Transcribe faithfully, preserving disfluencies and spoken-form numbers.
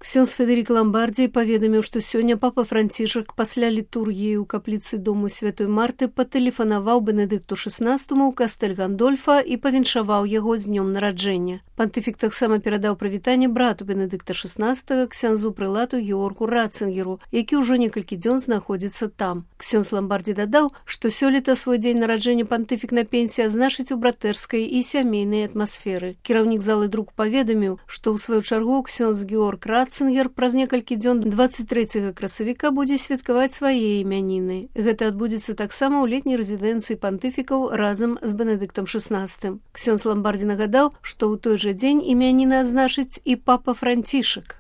Ксёндз Федэрік Ламбардзі паведаміў, што сёння папа Францішак пасля літургіі ў капліцы дому святой Марты патэлефанаваў Бенедыкту шаснаццатаму ў кастэль Гандольфа і павіншаваў яго з днём нараджэння. Пантыфік таксама перадаў прывітанне брату Бенедыкта шаснаццатага, ксяндзу прылату Георгу Ратцынгеру, які ўжо некалькі дзён знаходзіцца там. Ксёндз Ламбардзі дадаў, што сёлета свой дзень нараджэння пантыфік на пенсіі азначыць у братэрскай і сямейнай атмасферы. Кіраўнік залы друку паведаміў, што ў сваю чаргу ксёндз Георг Ратцынгер праз некалькі дзён дваццаць трэцяга красавіка будзе святкаваць свае імяніны. Гэта адбудзецца таксама ў летняй рэзідэнцыі пантыфікаў разам з Бенедыктам шаснаццатым. Ксёндз Ламбардзі нагадаў, што ў той жа дзень імяніны адзначыць і папа Францішак.